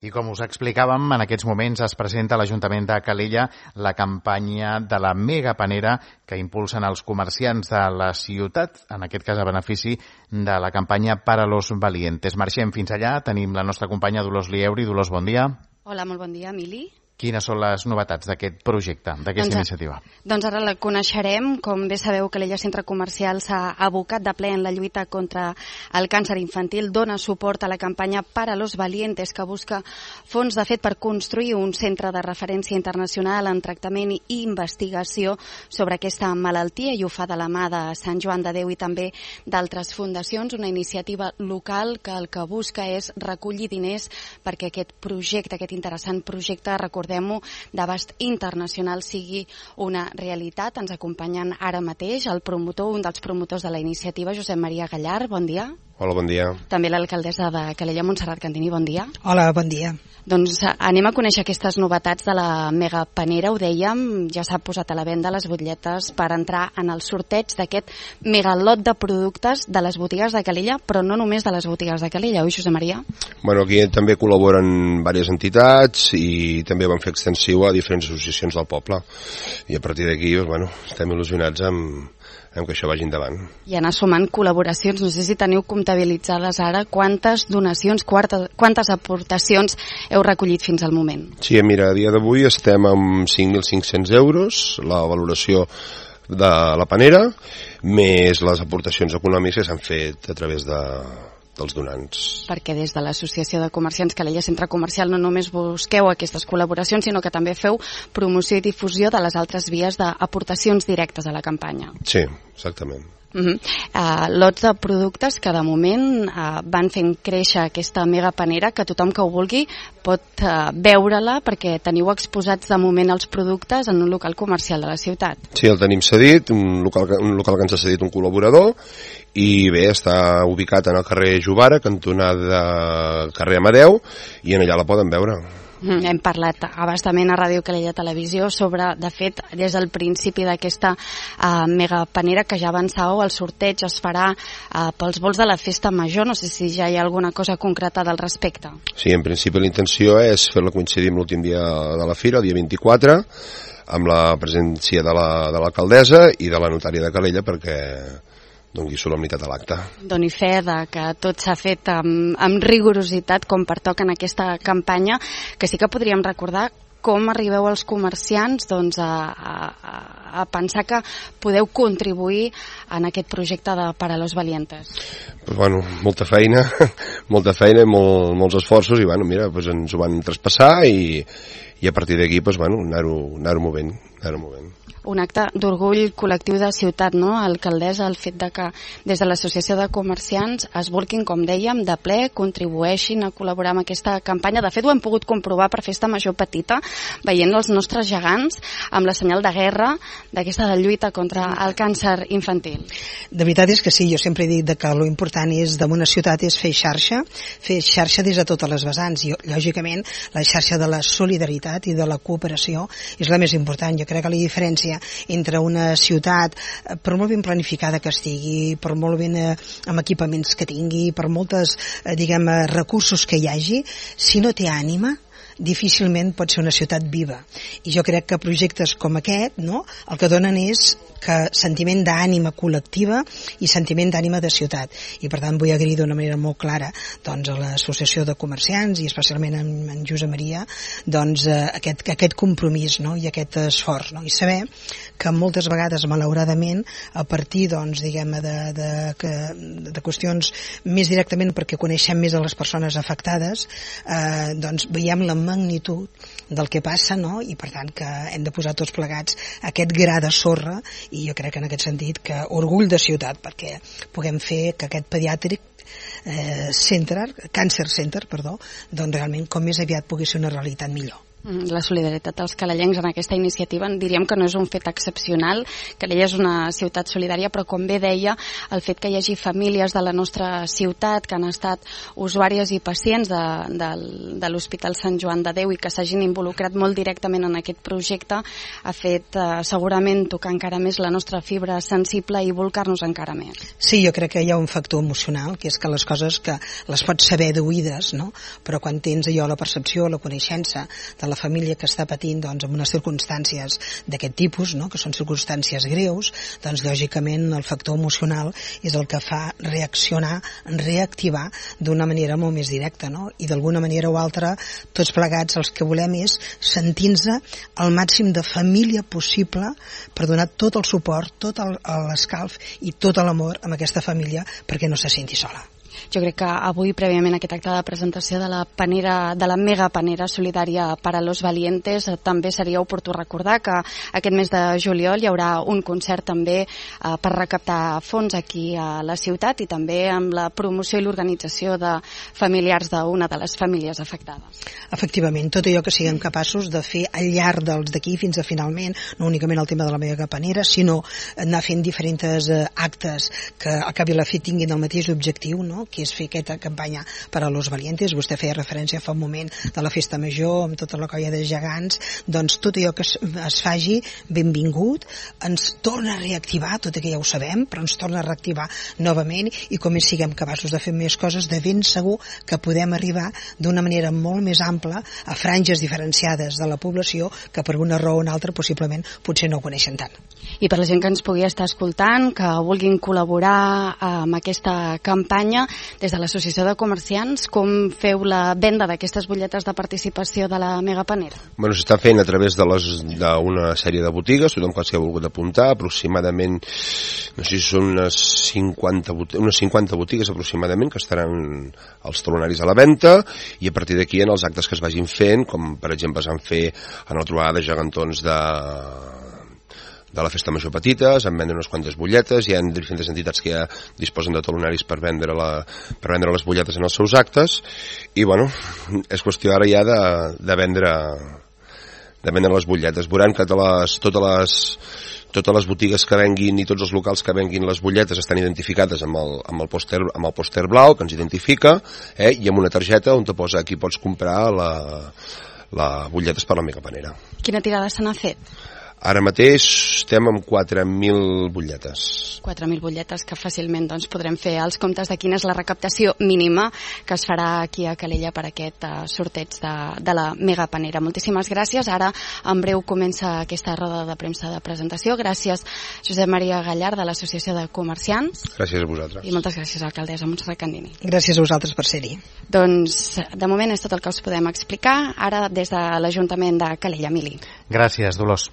I com us explicàvem, en aquests moments es presenta a l'Ajuntament de Calella la campanya de la Mega Panera que impulsen els comerciants de la ciutat, en aquest cas a benefici de la campanya Para los Valientes. Marxem fins allà, tenim la nostra companya Dolors Lieuri. Dolors, bon dia. Hola, molt bon dia, Emili. Quines són les novetats d'aquest projecte, d'aquesta iniciativa? Doncs ara la coneixerem. Com bé sabeu, Calella Centre Comercial s'ha abocat de ple en la lluita contra el càncer infantil. Dona suport a la campanya Para los Valientes, que busca fons, de fet, per construir un centre de referència internacional en tractament i investigació sobre aquesta malaltia, i ho fa de la mà de Sant Joan de Déu i també d'altres fundacions. Una iniciativa local que el que busca és recollir diners perquè aquest projecte, aquest interessant projecte, recordem-ho, d'abast internacional, sigui una realitat. Ens acompanyen ara mateix el promotor, un dels promotors de la iniciativa, Josep Maria Gallar. Bon dia. Hola, bon dia. També l'alcaldessa de Calella, Montserrat Cantini. Bon dia. Hola, bon dia. Doncs anem a conèixer aquestes novetats de la Mega Panera. Ho dèiem, ja s'ha posat a la venda les butlletes per entrar en el sorteig d'aquest megalot de productes de les botigues de Calella, però no només de les botigues de Calella, oi, Josep Maria? Bueno, aquí també col·laboren diverses entitats i també van fer extensiu a diferents associacions del poble. I a partir d'aquí, bueno, estem il·lusionats amb que això vagi endavant. I anar sumant col·laboracions. No sé si teniu comptabilitzades ara quantes donacions, quantes aportacions heu recollit fins al moment. Sí, mira, a dia d'avui estem amb 5.500 euros, la valoració de la panera, més les aportacions econòmiques que s'han fet a través dels donants. Perquè des de l'Associació de Comerciants Calella Centre Comercial no només busqueu aquestes col·laboracions, sinó que també feu promoció i difusió de les altres vies d'aportacions directes a la campanya. Sí, exactament. Lots de productes que de moment van fent créixer aquesta Mega Panera, que tothom que ho vulgui pot veure-la, perquè teniu exposats de moment els productes en un local comercial de la ciutat. Sí, el tenim cedit, un local que ens ha cedit un col·laborador, i bé, està ubicat en el carrer Jovara, cantonada carrer Amadeu, i en allà la poden veure. Hem parlat abastament a Ràdio Calella Televisió sobre, de fet, des del principi d'aquesta Mega Panera, que ja avançàveu, el sorteig es farà pels vols de la festa major. No sé si ja hi ha alguna cosa concreta al respecte. Sí, en principi la intenció és fer-la coincidir amb l'últim dia de la fira, el dia 24, amb la presència de l'alcaldessa i de la notària de Calella, perquè doni solemnitat a l'acte. Doni fe de que tot s'ha fet amb rigorositat, com pertoca en aquesta campanya, que sí que podríem recordar com arribeu els comerciants a pensar que podeu contribuir en aquest projecte de Para los Valientes. Pues bueno, molta feina i molts esforços, i bueno, mira, pues ens ho van traspassar i a partir d'aquí pues bueno, anar-ho movent. Un acte d'orgull col·lectiu de ciutat, no, alcaldessa, el fet de que des de l'Associació de Comerciants es volquin, com dèiem, de ple, contribueixin a col·laborar amb aquesta campanya. De fet, ho hem pogut comprovar per Festa Major Petita, veient els nostres gegants amb la senyal de guerra d'aquesta de lluita contra el càncer infantil. De veritat és que sí, jo sempre he dit que lo important és d'una ciutat és fer xarxa des de totes les vessants, i lògicament la xarxa de la solidaritat i de la cooperació és la més important. Jo crec que la diferència entre una ciutat, per molt ben planificada que estigui, per molt ben amb equipaments que tingui, per moltes recursos que hi hagi, si no té ànima, difícilment pot ser una ciutat viva. I jo crec que projectes com aquest, no, el que donen és sentiment d'ànima col·lectiva i sentiment d'ànima de ciutat. I per tant vull agrair d'una manera molt clara doncs, a l'Associació de Comerciants i especialment en Josep Maria aquest compromís, no, i aquest esforç, no, i saber que moltes vegades malauradament a partir de qüestions més directament perquè coneixem més a les persones afectades, veiem la magnitud del que passa, no? I per tant que hem de posar tots plegats aquest gra de sorra, i jo crec en aquest sentit que orgull de ciutat perquè puguem fer que aquest pediàtric Cancer Center, doncs realment com més aviat pugui ser una realitat millor. La solidaritat dels calellencs en aquesta iniciativa diríem que no és un fet excepcional. Calella és una ciutat solidària, però com bé deia, el fet que hi hagi famílies de la nostra ciutat que han estat usuàries i pacients de l'Hospital Sant Joan de Déu i que s'hagin involucrat molt directament en aquest projecte ha fet segurament tocar encara més la nostra fibra sensible i volcar-nos encara més. Sí, jo crec que hi ha un factor emocional, que és que les coses que les pots saber d'oïdes, no? Però quan tens allò la percepció, la coneixença de la família que està patint doncs, en unes circumstàncies d'aquest tipus, no? Que són circumstàncies greus, doncs lògicament el factor emocional és el que fa reaccionar, reactivar d'una manera molt més directa, no? I d'alguna manera o altra, tots plegats el que volem és sentir-nos el màxim de família possible per donar tot el suport, tot l'escalf i tot l'amor a aquesta família perquè no se senti sola. Jo crec que avui, prèviament a aquest acte de presentació de la mega panera solidària para los valientes, també seria oportú recordar que aquest mes de juliol hi haurà un concert també per recaptar fons aquí a la ciutat i també amb la promoció i l'organització de familiars d'una de les famílies afectades. Efectivament, tot allò que siguem capaços de fer al llarg d'aquí fins a finalment, no únicament el tema de la mega panera, sinó anar fent diferents actes que al cap i a la fi tinguin el mateix objectiu, no? Que és fer aquesta campanya per a los valientes. Vostè feia referència fa un moment de la festa major amb tota la colla de gegants, doncs tot allò que es faci benvingut, ens torna a reactivar, tot i que ja ho sabem, però ens torna a reactivar novament i com més siguem capaços de fer més coses, de ben segur que podem arribar d'una manera molt més ampla a franges diferenciades de la població que per una raó o una altra possiblement potser no ho coneixen tant. I per la gent que ens pugui estar escoltant, que vulguin col·laborar amb aquesta campanya, des de l'Associació de Comerciants, com feu la venda d'aquestes butlletes de participació de la Mega Panera? Bueno, s'està fent a través d'una sèrie de botigues, tothom que s'hi ha volgut apuntar, aproximadament, no sé si són unes 50 botigues aproximadament que estaran els talonaris a la venda, i a partir d'aquí en els actes que es vagin fent, com per exemple es van fer en la trobada de gegantons de la festa major petita, es van vendre unes quantes butlletes, hi ha diferents entitats que ja disposen de talonaris per vendre les butlletes en els seus actes, i bueno, és qüestió ara ja de vendre les butlletes. Veuran que totes les botigues que venguin i tots els locals que venguin les butlletes estan identificades amb el pòster blau que ens identifica, i amb una targeta on te posa aquí pots comprar la butlletes per la Mega Panera. Quina tirada se n'ha fet? Ara mateix estem amb 4.000 butlletes. 4.000 butlletes que fàcilment podrem fer els comptes de quina és la recaptació mínima que es farà aquí a Calella per aquest sorteig de la Mega Panera. Moltíssimes gràcies. Ara en breu comença aquesta roda de premsa de presentació. Gràcies Josep Maria Gallar de l'Associació de Comerciants. Gràcies a vosaltres. I moltes gràcies alcaldessa Montserrat Candini. Gràcies a vosaltres per ser-hi. Doncs de moment és tot el que us podem explicar. Ara des de l'Ajuntament de Calella. Mili. Gràcies, Dolors.